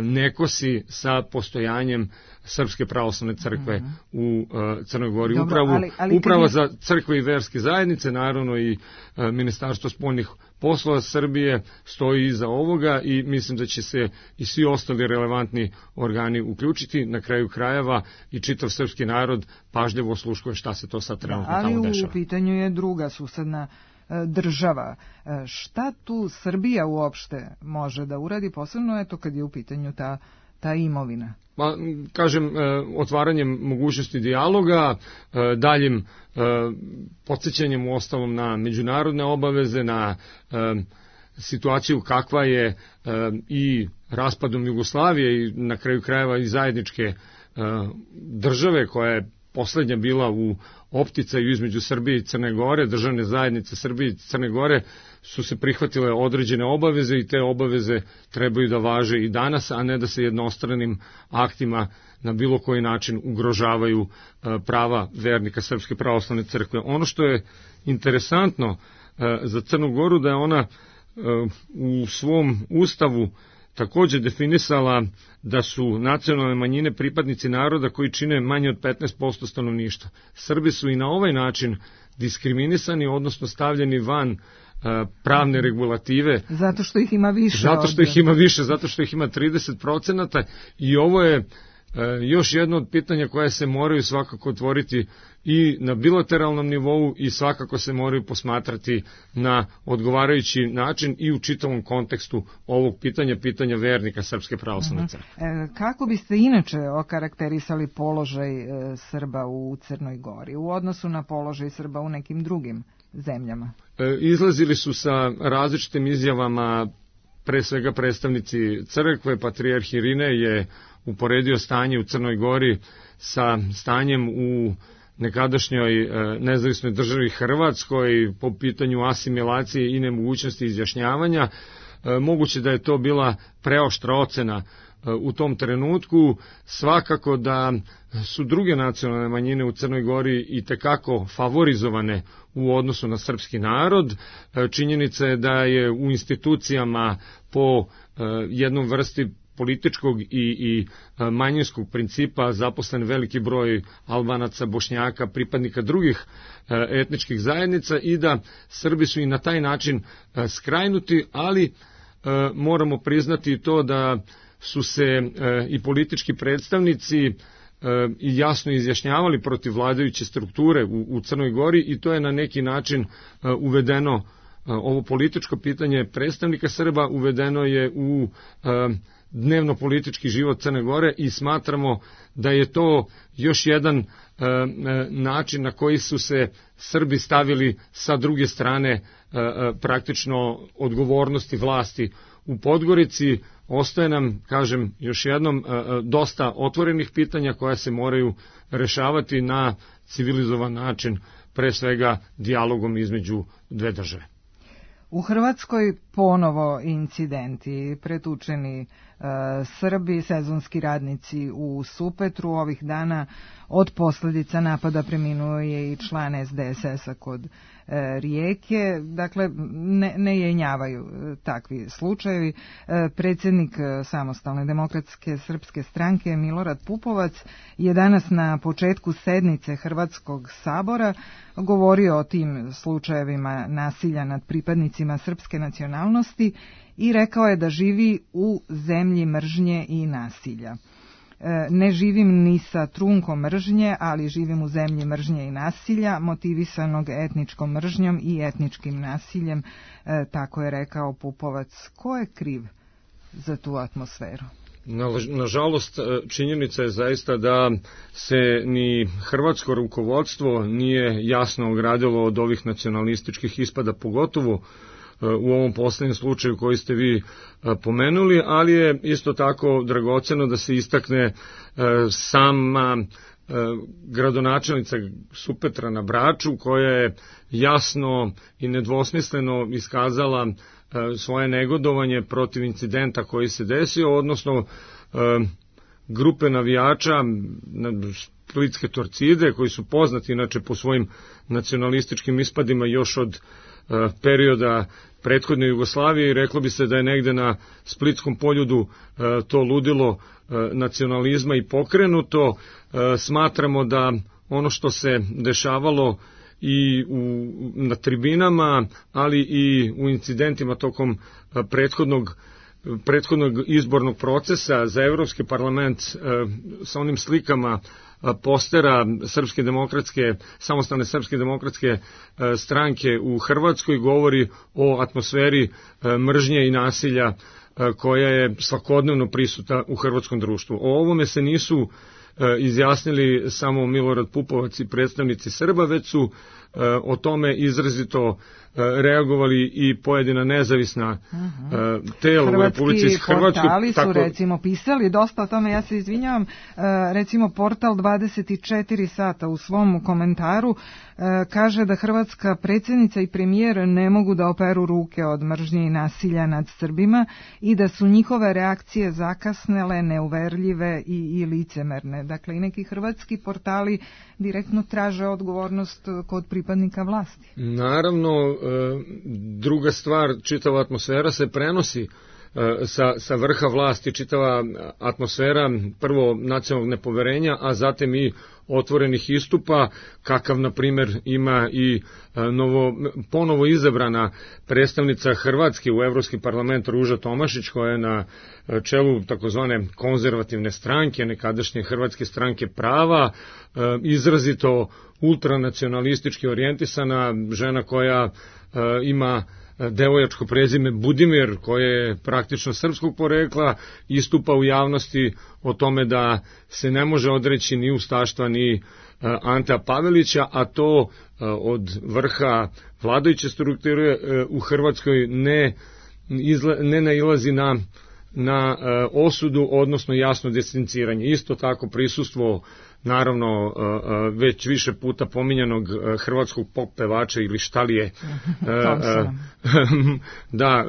ne kosi sa postojanjem Srpske pravoslavne crkve mm-hmm. u uh, Crnoj Gori. Dobro, Upravu, ali, ali uprava je... za crkve i verske zajednice, naravno i uh, Ministarstvo spoljnih poslova Srbije stoji iza ovoga i mislim da će se i svi ostali relevantni organi uključiti. Na kraju krajeva i čitav srpski narod pažljivo osluškuje šta se to sad trenutno da, tamo dešava. Ali u pitanju je druga susedna država. Šta tu Srbija uopšte može da uradi, posebno eto kad je u pitanju ta, ta imovina? Pa, kažem, otvaranjem mogućnosti dijaloga, daljim podsjećanjem u ostalom na međunarodne obaveze, na situaciju kakva je i raspadom Jugoslavije i na kraju krajeva i zajedničke države koja je poslednja bila u opticaju između Srbije i Crne Gore. Državne zajednice Srbije i Crne Gore su se prihvatile određene obaveze i te obaveze trebaju da važe i danas, a ne da se jednostranim aktima na bilo koji način ugrožavaju prava vernika Srpske pravoslavne crkve. Ono što je interesantno za Crnu Goru da je ona u svom ustavu takođe definisala da su nacionalne manjine pripadnici naroda koji čine manje od petnaest posto stanovništva. Srbi su i na ovaj način diskriminisani, odnosno stavljeni van uh, pravne regulative. Zato što ih ima više. Zato što ih ima više, zato što ih ima trideset procenata, i ovo je uh, još jedno od pitanja koje se moraju svakako otvoriti i na bilateralnom nivou i svakako se moraju posmatrati na odgovarajući način i u čitavom kontekstu ovog pitanja, pitanja vernika Srpske pravoslavne crkve. E, kako biste inače okarakterisali položaj e, Srba u Crnoj Gori u odnosu na položaj Srba u nekim drugim zemljama? E, izlazili su sa različitim izjavama, pre svega predstavnici crkve. Patrijarh Irinej je uporedio stanje u Crnoj Gori sa stanjem u nekadašnjoj nezavisnoj državi Hrvatskoj po pitanju asimilacije i nemogućnosti izjašnjavanja. Moguće da je to bila preoštra ocena u tom trenutku. Svakako da su druge nacionalne manjine u Crnoj Gori i tekako favorizovane u odnosu na srpski narod. Činjenica je da je u institucijama po jednom vrsti političkog i, i manjinskog principa zaposlen veliki broj Albanaca, Bošnjaka, pripadnika drugih etničkih zajednica i da Srbi su i na taj način skrajnuti, ali moramo priznati to da su se i politički predstavnici i jasno izjašnjavali protiv vladajuće strukture u, u Crnoj Gori i to je na neki način uvedeno, ovo političko pitanje predstavnika Srba uvedeno je u dnevno politički život Crne Gore i smatramo da je to još jedan način na koji su se Srbi stavili sa druge strane praktično odgovornosti vlasti u Podgorici. Ostaje nam, kažem još jednom, dosta otvorenih pitanja koja se moraju rešavati na civilizovan način, pre svega dijalogom između dve države. U Hrvatskoj ponovo incidenti, pretučeni e, Srbi, sezonski radnici u Supetru. Ovih dana od posljedica napada preminuo je i član es de es es a kod e, Rijeke. Dakle, ne, ne jenjavaju e, takvi slučajevi. E, predsjednik Samostalne demokratske srpske stranke Milorad Pupovac je danas na početku sednice Hrvatskog sabora govorio o tim slučajevima nasilja nad pripadnicima srpske nacionalnosti i rekao je da živi u zemlji mržnje i nasilja. E, ne živim ni sa trunkom mržnje, ali živim u zemlji mržnje i nasilja, motivisanog etničkom mržnjom i etničkim nasiljem, e, tako je rekao Pupovac. Ko je kriv za tu atmosferu? Nažalost, činjenica je zaista da se ni hrvatsko rukovodstvo nije jasno ogradilo od ovih nacionalističkih ispada, pogotovo u ovom posljednjem slučaju koji ste vi pomenuli, ali je isto tako dragoceno da se istakne sama gradonačelnica Supetra na Braču, koja je jasno i nedvosmisleno iskazala svoje negodovanje protiv incidenta koji se desio, odnosno grupe navijača Splitske Torcide, koji su poznati inače po svojim nacionalističkim ispadima još od perioda prethodne Jugoslavije, i reklo bi se da je negde na Splitskom poljudu to ludilo nacionalizma i pokrenuto. Smatramo da ono što se dešavalo i u, na tribinama, ali i u incidentima tokom prethodnog prethodnog izbornog procesa za Evropski parlament sa onim slikama postera Srpske demokratske, samostalne Srpske demokratske stranke u Hrvatskoj govori o atmosferi mržnje i nasilja koja je svakodnevno prisutna u hrvatskom društvu. O ovome se nisu izjasnili samo Milorad Pupovac i predstavnici Srba, već su o tome izrazito reagovali i pojedina nezavisna uh-huh. tela u Republici Hrvatskoj. Hrvatski portali su tako... recimo pisali dosta o tome, ja se izvinjavam, recimo portal dvadeset četiri sata u svom komentaru kaže da hrvatska predsjednica i premijer ne mogu da operu ruke od mržnje i nasilja nad Srbima i da su njihove reakcije zakasnele, neuverljive i, i licemerne. Dakle, i neki hrvatski portali direktno traže odgovornost kod pripadnika vlasti. Naravno, druga stvar, čitava atmosfera se prenosi sa, sa vrha vlasti, čitava atmosfera prvo nacionalnog nepoverenja, a zatim i otvorenih istupa, kakav na primjer ima i novo, ponovo izabrana predstavnica Hrvatske u Evropski parlament Ruža Tomašić, koja je na čelu takozvane konzervativne stranke, nekadašnje Hrvatske stranke prava, izrazito ultranacionalistički orijentisana žena koja ima devojačko prezime Budimir, koje je praktično srpskog porekla, istupa u javnosti o tome da se ne može odreći ni ustaštva ni Antea Pavelića, a to od vrha vladajuće strukture u Hrvatskoj ne, izla, ne nailazi na, na osudu, odnosno jasno distanciranje. Isto tako prisustvo naravno već više puta pominjanog hrvatskog pop pevača ili šta li je, da,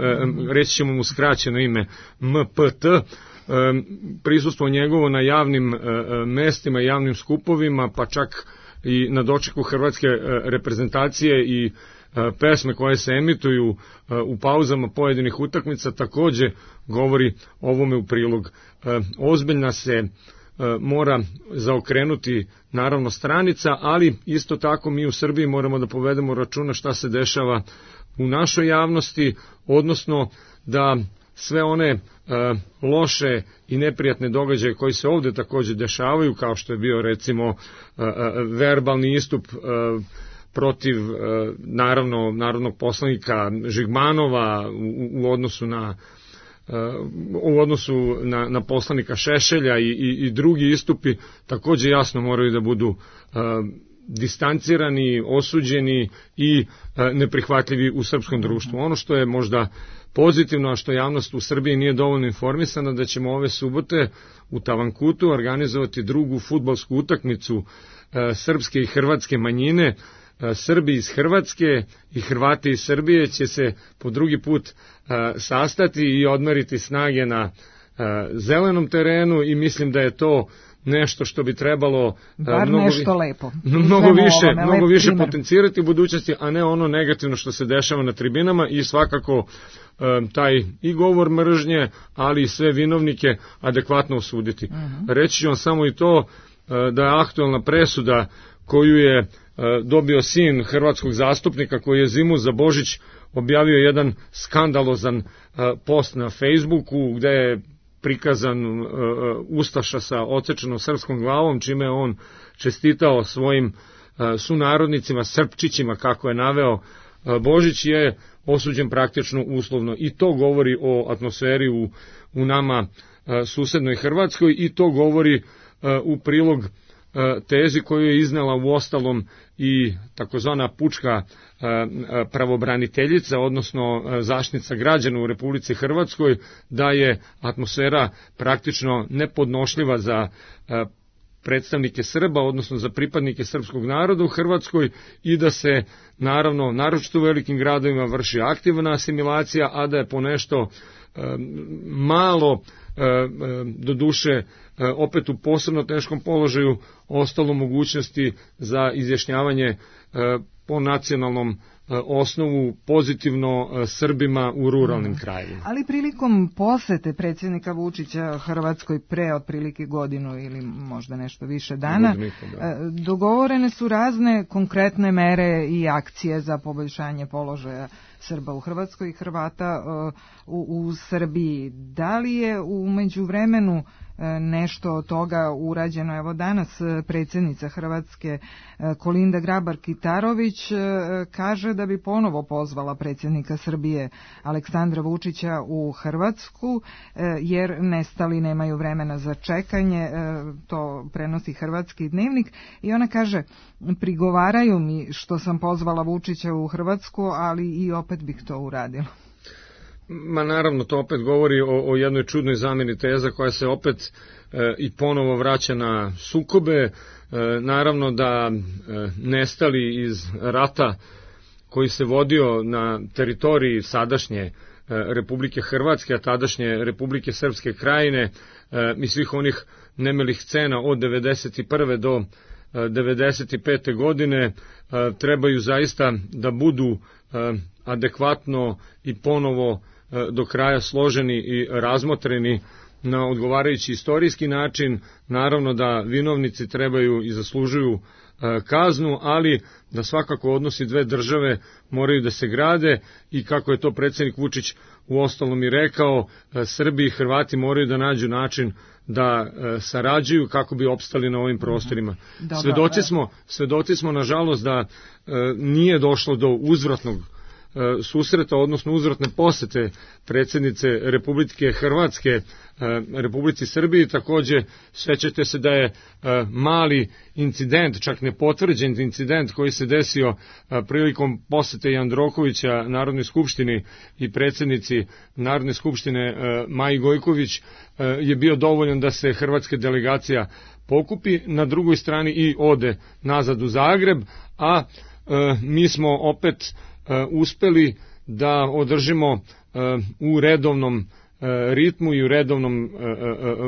reći ćemo mu skraćeno ime M P T, prisustvo njegovo na javnim mestima, javnim skupovima, pa čak i na dočeku hrvatske reprezentacije i pesme koje se emituju u pauzama pojedinih utakmica takođe govori ovome u prilog. Ozbiljna se mora zaokrenuti naravno stranica, ali isto tako mi u Srbiji moramo da povedemo računa šta se dešava u našoj javnosti, odnosno da sve one e, loše i neprijatne događaje koji se ovde takođe dešavaju, kao što je bio recimo e, e, verbalni istup e, protiv e, naravno narodnog poslanika Žigmanova u, u odnosu na u odnosu na, na poslanika Šešelja i, i, i drugi istupi takođe jasno moraju da budu uh, distancirani, osuđeni i uh, neprihvatljivi u srpskom društvu. Ono što je možda pozitivno, a što javnost u Srbiji nije dovoljno informisana, da ćemo ove subote u Tavankutu organizovati drugu fudbalsku utakmicu uh, srpske i hrvatske manjine. Srbi iz Hrvatske i Hrvati iz Srbije će se po drugi put sastati i odmeriti snage na zelenom terenu i mislim da je to nešto što bi trebalo Bar mnogo, nešto lepo. mnogo više, ovome, mnogo više primer. potencirati u budućnosti, a ne ono negativno što se dešava na tribinama i svakako taj i govor mržnje, ali i sve vinovnike adekvatno osuditi. Uh-huh. Reći ću vam samo i to da je aktualna presuda koju je dobio sin hrvatskog zastupnika koji je zimu za Božić objavio jedan skandalozan post na Facebooku gde je prikazan ustaša sa odsečenom srpskom glavom, čime je on čestitao svojim sunarodnicima, Srpčićima, kako je naveo Božić, je osuđen praktično uslovno. I to govori o atmosferi u, u nama susednoj Hrvatskoj i to govori u prilog tezi koju je iznela u ostalom i takozvana pučka pravobraniteljica, odnosno zaštitnica građana u Republici Hrvatskoj, da je atmosfera praktično nepodnošljiva za predstavnike Srba, odnosno za pripadnike srpskog naroda u Hrvatskoj i da se, naravno, naročito u velikim gradovima vrši aktivna asimilacija, a da je ponešto malo, do duše, opet u posebno teškom položaju ostalo mogućnosti za izjašnjavanje po nacionalnom osnovu pozitivno Srbima u ruralnim krajevima. Ali prilikom posete predsjednika Vučića Hrvatskoj pre otprilike godinu ili možda nešto više dana, dogovorene su razne konkretne mere i akcije za poboljšanje položaja Srba u Hrvatskoj i Hrvata u, u Srbiji. Da li je u međuvremenu nešto od toga urađeno? Evo danas predsjednica Hrvatske Kolinda Grabar-Kitarović kaže da bi ponovo pozvala predsjednika Srbije Aleksandra Vučića u Hrvatsku jer nestali nemaju vremena za čekanje, to prenosi Hrvatski dnevnik i ona kaže: prigovaraju mi što sam pozvala Vučića u Hrvatsku, ali i opet bih to uradila. Ma naravno, to opet govori o, o jednoj čudnoj zamjeni teza koja se opet e, i ponovo vraća na sukobe. E, naravno da e, nestali iz rata koji se vodio na teritoriji sadašnje e, Republike Hrvatske, a tadašnje Republike Srpske Krajine e, i svih onih nemilih scena od devedeset prve do devedeset pete godine e, trebaju zaista da budu e, adekvatno i ponovo do kraja složeni i razmotreni na odgovarajući istorijski način. Naravno da vinovnici trebaju i zaslužuju kaznu, ali da svakako odnosi dve države moraju da se grade i kako je to predsjednik Vučić u ostalom i rekao, Srbi i Hrvati moraju da nađu način da sarađuju kako bi opstali na ovim prostorima. Dobar, svedoci smo, svedoci smo nažalost da nije došlo do uzvratnog susreta, odnosno uzvratne posete predsjednice Republike Hrvatske Republici Srbiji. Takođe, sećate se da je mali incident, čak nepotvrđen incident koji se desio prilikom posete Jandrokovića Narodnoj skupštini i predsjednici Narodne skupštine Maji Gojković je bio dovoljan da se hrvatska delegacija pokupi, na drugoj strani i ode nazad u Zagreb, a mi smo opet uspeli da održimo u redovnom ritmu i u redovnom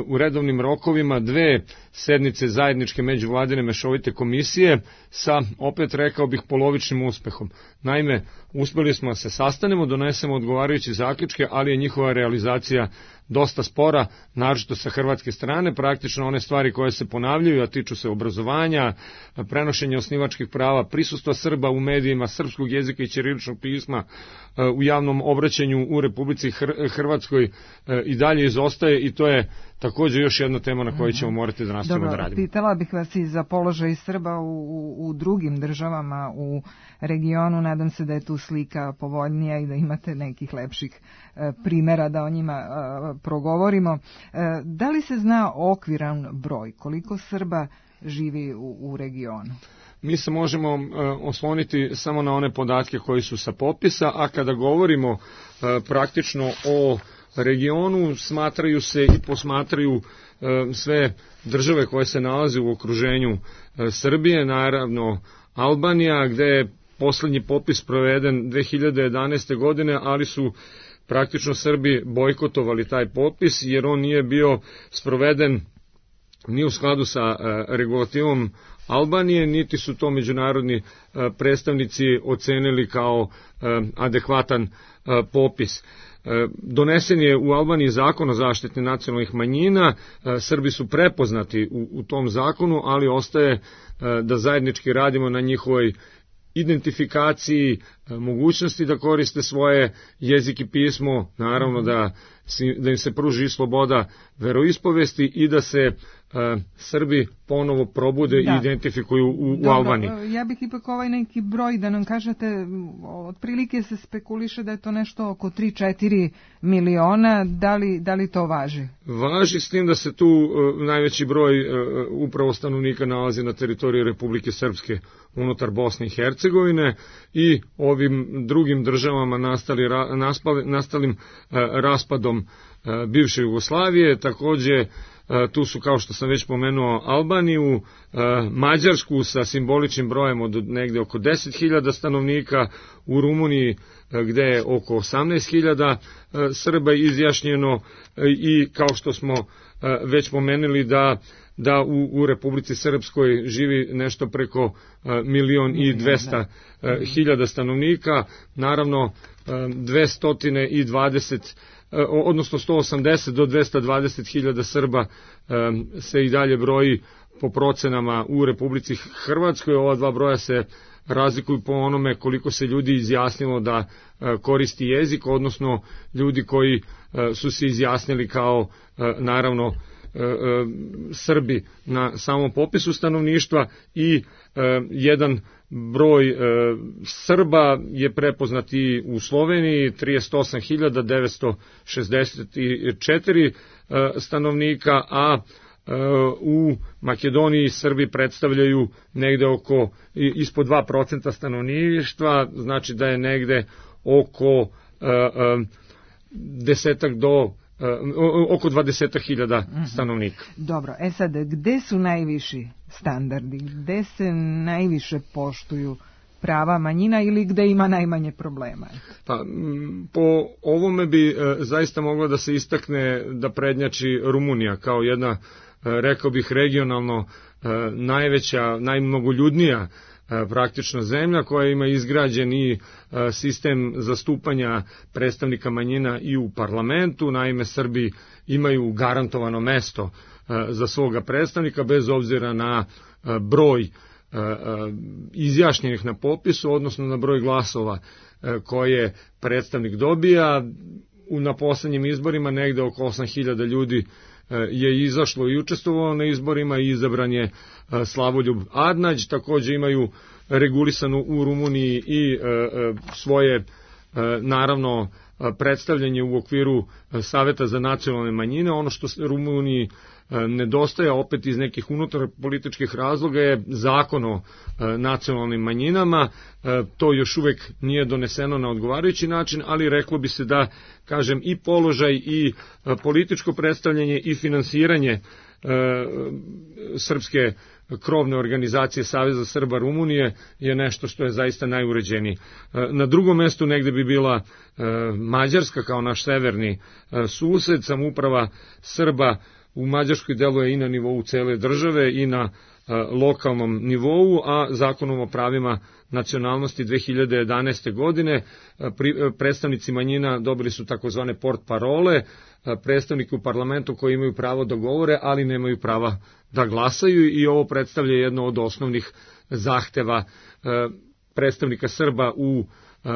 u redovnim rokovima dve sednice zajedničke međuvladine mešovite komisije sa, opet rekao bih, polovičnim uspehom. Naime, uspeli smo da se sastanemo, donesemo odgovarajuće zaključke, ali je njihova realizacija dosta spora, naročito sa hrvatske strane. Praktično one stvari koje se ponavljaju, a tiču se obrazovanja, prenošenja osnivačkih prava, prisustva Srba u medijima, srpskog jezika i ćiriličnog pisma u javnom obraćanju u Republici Hrvatskoj i dalje izostaje, i to je također još jedna tema na kojoj ćemo morati da nastavimo da radimo. Pitala bih vas i za položaj Srba u, u, u drugim državama u regionu. Nadam se da je tu slika povoljnija i da imate nekih lepših e, primjera da o njima e, progovorimo. E, da li se zna okviran broj koliko Srba živi u, u regionu? Mi se možemo e, osloniti samo na one podatke koji su sa popisa, a kada govorimo e, praktično o regionu, smatraju se i posmatraju e, sve države koje se nalaze u okruženju e, Srbije, naravno Albanija, gde je poslednji popis proveden dve hiljade jedanaeste. godine, ali su praktično Srbi bojkotovali taj popis, jer on nije bio sproveden ni u skladu sa e, regulativom Albanije, niti su to međunarodni e, predstavnici ocenili kao e, adekvatan e, popis. Donesen je u Albaniji zakon o zaštiti nacionalnih manjina, Srbi su prepoznati u, u tom zakonu, ali ostaje da zajednički radimo na njihovoj identifikaciji, mogućnosti da koriste svoje jezik i pismo, naravno da, da im se pruži sloboda veroispovesti i da se Uh, Srbi ponovo probude da. i identifikuju u, u Albaniji. Ja bih ipak ovaj neki broj da nam kažete, otprilike se spekuliše da je to nešto oko tri do četiri miliona, da li, da li to važi? Važi, s tim da se tu uh, najveći broj uh, upravo stanovnika nalazi na teritoriji Republike Srpske unutar Bosne i Hercegovine i ovim drugim državama nastali, ra, naspali, nastalim uh, raspadom uh, bivše Jugoslavije. Takođe tu su, kao što sam već pomenuo, Albaniju, Mađarsku sa simboličnim brojem od negde oko deset hiljada stanovnika, u Rumuniji gde je oko osamnaest hiljada Srba izjašnjeno i kao što smo već pomenuli da da u, u Republici Srpskoj živi nešto preko milion i dvesta hiljada stanovnika, naravno dvesta dvadeset odnosno sto osamdeset do dvesta dvadeset hiljada Srba se i dalje broji po procenama u Republici Hrvatskoj. Ova dva broja se razlikuju po onome koliko se ljudi izjasnilo da koristi jezik, odnosno ljudi koji su se izjasnili kao naravno Srbi na samom popisu stanovništva i jedan broj Srba je prepoznat i u Sloveniji, trideset osam hiljada devetsto šezdeset četiri stanovnika, a u Makedoniji Srbi predstavljaju negde oko ispod dva procenta stanovništva, znači da je negde oko desetak do oko dvadeset hiljada stanovnika. Dobro, e sad, gde su najviši standardi? Gde se najviše poštuju prava manjina ili gde ima najmanje problema? Pa, po ovome bi e, zaista mogla da se istakne da prednjači Rumunija kao jedna, e, rekao bih, regionalno e, najveća, najmnogoljudnija praktično zemlja koja ima izgrađen i sistem zastupanja predstavnika manjina i u parlamentu. Naime, Srbi imaju garantovano mesto za svoga predstavnika bez obzira na broj izjašnjenih na popisu, odnosno na broj glasova koje predstavnik dobija. Na poslednjim izborima negde oko osam hiljada ljudi je izašlo i učestvovalo na izborima i izabran je Slavoljub Adnađ. Takođe imaju regulisanu u Rumuniji i svoje naravno predstavljanje u okviru Saveta za nacionalne manjine. Ono što Rumuniji nedostaje opet iz nekih unutar političkih razloga je zakon o nacionalnim manjinama. To još uvek nije doneseno na odgovarajući način, ali reklo bi se da, kažem, i položaj i političko predstavljanje i finansiranje srpske krovne organizacije Saveza Srba Rumunije je nešto što je zaista najuređeniji. Na drugom mestu negde bi bila Mađarska kao naš severni sused. Samouprava Srba u Mađarskoj deluje i na nivou cele države i na lokalnom nivou, a zakonom o pravima nacionalnosti dve hiljade jedanaeste. godine predstavnici manjina dobili su takozvane port parole, predstavniki u parlamentu koji imaju pravo da govore, ali nemaju prava da glasaju, i ovo predstavlja jedno od osnovnih zahteva predstavnika Srba u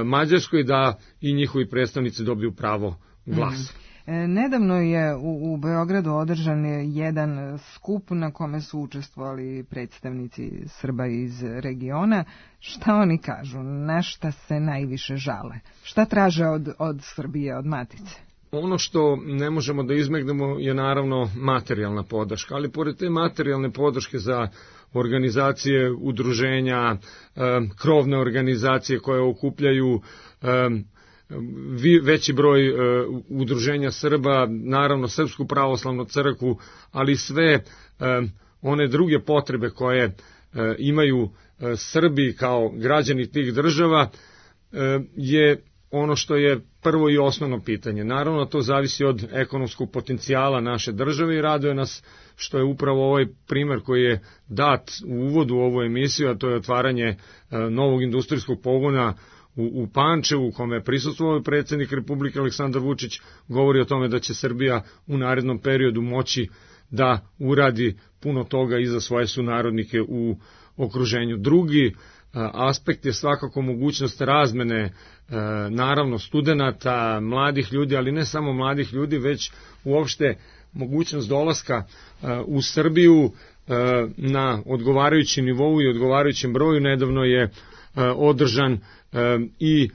Mađarskoj, da i njihovi predstavnici dobiju pravo glasa. Mm. Nedavno je u, u Beogradu održan jedan skup na kome su učestvovali predstavnici Srba iz regiona. Šta oni kažu? Na šta se najviše žale? Šta traže od, od Srbije, od Matice? Ono što ne možemo da izmegnemo je naravno materijalna podrška, ali pored te materijalne podrške za organizacije, udruženja, krovne organizacije koje okupljaju veći broj uh, udruženja Srba, naravno Srpsku pravoslavnu crkvu, ali sve uh, one druge potrebe koje uh, imaju uh, Srbi kao građani tih država uh, je ono što je prvo i osnovno pitanje. Naravno, to zavisi od ekonomskog potencijala naše države i raduje nas što je upravo ovaj primer koji je dat u uvodu u ovu emisiju, a to je otvaranje uh, novog industrijskog pogona U, u Pančevu, u kome je prisustvovao predsjednik Republike Aleksandar Vučić, govori o tome da će Srbija u narednom periodu moći da uradi puno toga i za svoje sunarodnike u okruženju. Drugi a, aspekt je svakako mogućnost razmene, a, naravno studenata, mladih ljudi, ali ne samo mladih ljudi, već uopšte mogućnost dolaska a, u Srbiju a, na odgovarajući nivou i odgovarajućem broju. Nedavno je a, održan i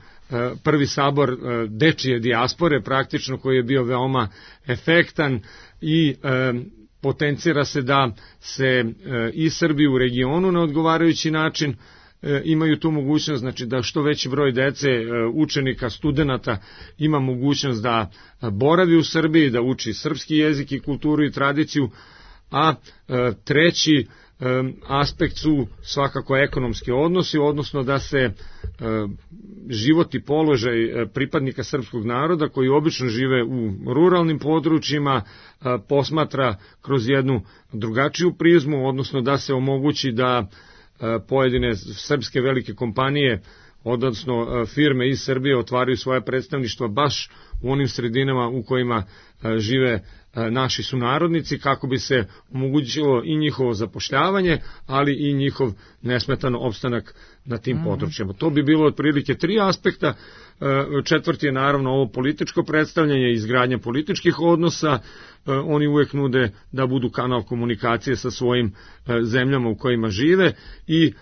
prvi sabor dečije dijaspore, praktično, koji je bio veoma efektan i potencira se da se i Srbi u regionu na odgovarajući način imaju tu mogućnost, znači da što veći broj dece, učenika, studenata ima mogućnost da boravi u Srbiji, da uči srpski jezik i kulturu i tradiciju, a treći aspekt su svakako ekonomski odnosi, odnosno da se život i položaj pripadnika srpskog naroda koji obično žive u ruralnim područjima posmatra kroz jednu drugačiju prizmu, odnosno da se omogući da pojedine srpske velike kompanije, odnosno firme iz Srbije, otvaraju svoje predstavništva baš u onim sredinama u kojima žive naši sunarodnici, kako bi se omogućilo i njihovo zapošljavanje, ali i njihov nesmetan opstanak na tim mm-hmm. područjima. To bi bilo otprilike tri aspekta. Četvrti je naravno ovo političko predstavljanje i izgradnja političkih odnosa. Oni uvek nude da budu kanal komunikacije sa svojim zemljama u kojima žive, i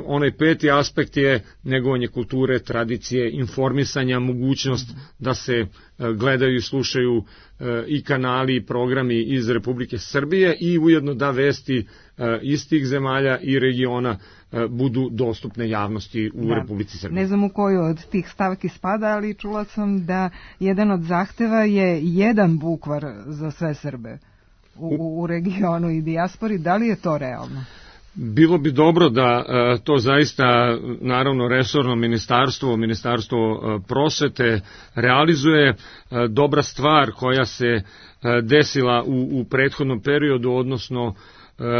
onaj peti aspekt je negovanje kulture, tradicije, informisanja, mogućnost da se gledaju i slušaju i kanali i programi iz Republike Srbije, i ujedno da vesti iz tih zemalja i regiona budu dostupne javnosti u da. Republici Srbije. Ne znam u koju od tih stavki spada, ali čula sam da jedan od zahteva je jedan bukvar za sve Srbe u, u regionu i dijaspori. Da li je to realno? Bilo bi dobro da to zaista, naravno, resorno ministarstvo, ministarstvo prosvete realizuje. Dobra stvar koja se desila u, u prethodnom periodu, odnosno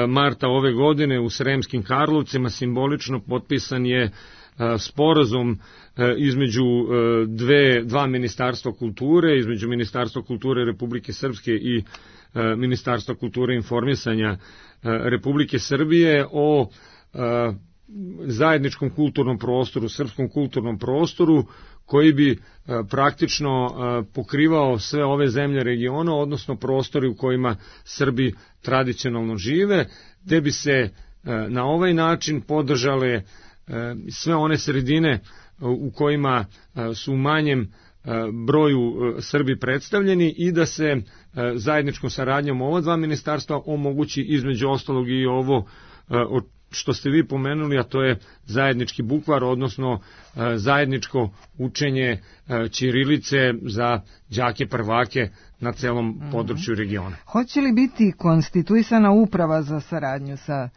marta ove godine u Sremskim Karlovcima, simbolično potpisan je sporazum između dve, dva ministarstva kulture, između Ministarstva kulture Republike Srpske i Ministarstva kulture i informisanja Republike Srbije o zajedničkom kulturnom prostoru, srpskom kulturnom prostoru, koji bi praktično pokrivao sve ove zemlje regiona, odnosno prostori u kojima Srbi tradicionalno žive, gde bi se na ovaj način podržale sve one sredine u kojima su u manjem broju Srbi predstavljeni, i da se zajedničkom saradnjom ova dva ministarstva omogući između ostalog i ovo što ste vi pomenuli, a to je zajednički bukvar, odnosno zajedničko učenje ćirilice za đake prvake na celom mm-hmm. području regiona. Hoće li biti konstituisana uprava za saradnju sa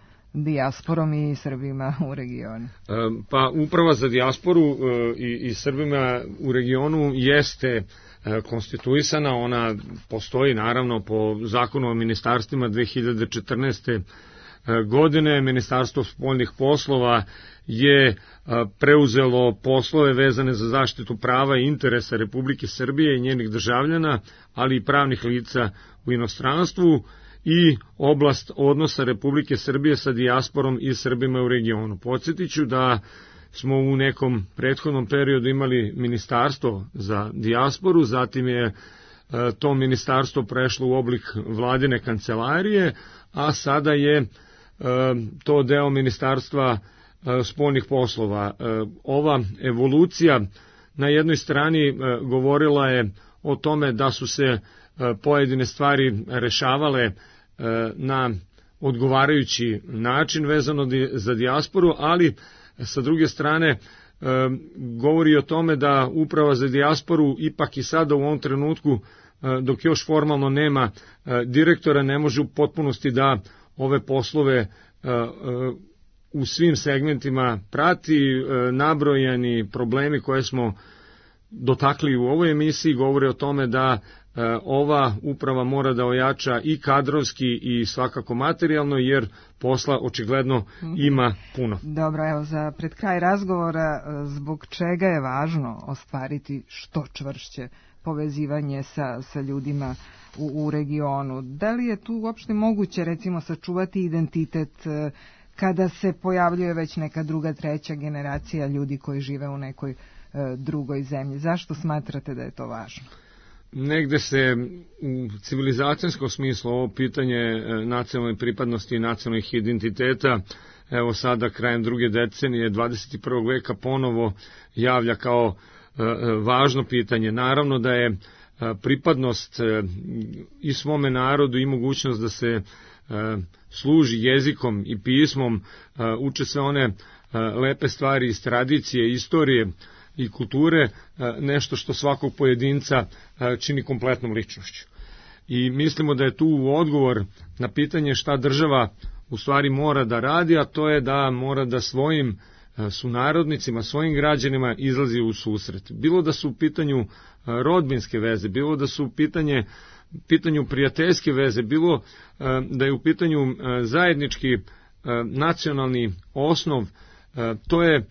dijasporom i Srbima u regionu? Pa Uprava za dijasporu i, i Srbima u regionu jeste konstituisana, ona postoji naravno po zakonu o ministarstvima dve hiljade četrnaeste. godine. Ministarstvo spoljnih poslova je preuzelo poslove vezane za zaštitu prava i interesa Republike Srbije i njenih državljana, ali i pravnih lica u inostranstvu i oblast odnosa Republike Srbije sa dijasporom i Srbima u regionu. Podsjetiću da smo u nekom prethodnom periodu imali ministarstvo za dijasporu, zatim je to ministarstvo prešlo u oblik vladine kancelarije, a sada je to deo ministarstva spoljnih poslova. Ova evolucija na jednoj strani govorila je o tome da su se pojedine stvari rešavale na odgovarajući način vezano za dijasporu, ali sa druge strane govori o tome da Uprava za dijasporu ipak i sada u ovom trenutku, dok još formalno nema direktora, ne može u potpunosti da ove poslove u svim segmentima prati. Nabrojani problemi koje smo dotakli u ovoj emisiji govore o tome da ova uprava mora da ojača i kadrovski i svakako materijalno, jer posla očigledno ima puno. Dobro, evo za pred kraj razgovora, zbog čega je važno ostvariti što čvršće povezivanje sa, sa ljudima u, u regionu? Da li je tu uopšte moguće recimo sačuvati identitet kada se pojavljuje već neka druga, treća generacija ljudi koji žive u nekoj e, drugoj zemlji? Zašto smatrate da je to važno? Negde se u civilizacijskom smislu ovo pitanje nacionalne pripadnosti i nacionalnih identiteta, evo sada krajem druge decenije dvadeset prvog veka ponovo javlja kao e, važno pitanje. Naravno da je pripadnost i svome narodu i mogućnost da se služi jezikom i pismom, uče sve one lepe stvari iz tradicije, istorije i kulture, nešto što svakog pojedinca čini kompletnom ličnošću. I mislimo da je tu odgovor na pitanje šta država u stvari mora da radi, a to je da mora da svojim sunarodnicima, svojim građanima izlazi u susret. Bilo da su u pitanju rodbinske veze, bilo da su u pitanje, pitanju prijateljske veze, bilo da je u pitanju zajednički nacionalni osnov, to je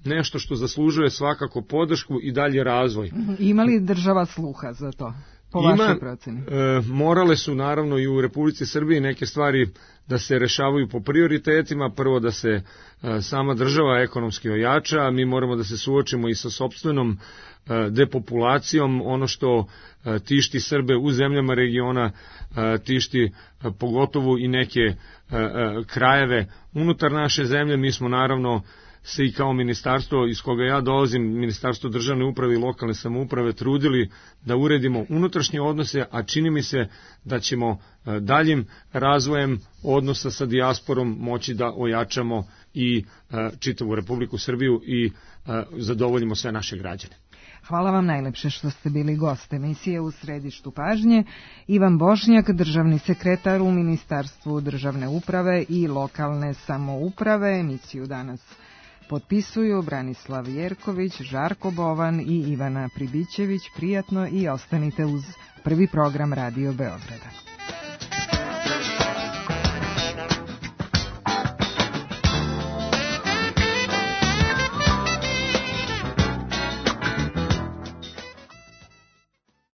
nešto što zaslužuje svakako podršku i dalje razvoj. Ima li država sluha za to? Po vašoj proceni? E, morale su naravno i u Republici Srbiji neke stvari da se rešavaju po prioritetima. Prvo da se e, sama država ekonomski ojača, mi moramo da se suočimo i sa sopstvenom e, depopulacijom. Ono što e, tišti Srbe u zemljama regiona, e, tišti e, pogotovo i neke e, e, krajeve unutar naše zemlje. Mi smo naravno se i kao ministarstvo iz koga ja dolazim, Ministarstvo državne uprave i lokalne samouprave, trudili da uredimo unutrašnje odnose, a čini mi se da ćemo daljim razvojem odnosa sa dijasporom moći da ojačamo i čitavu Republiku Srbiju i zadovoljimo sve naše građane. Hvala vam najlepše što ste bili gost emisije U središtu pažnje. Ivan Bošnjak, državni sekretar u Ministarstvu državne uprave i lokalne samouprave. Emisiju danas potpisuju Branislav Jerković, Žarko Bovan i Ivana Pribićević. Prijatno i ostanite uz prvi program Radio Beograda.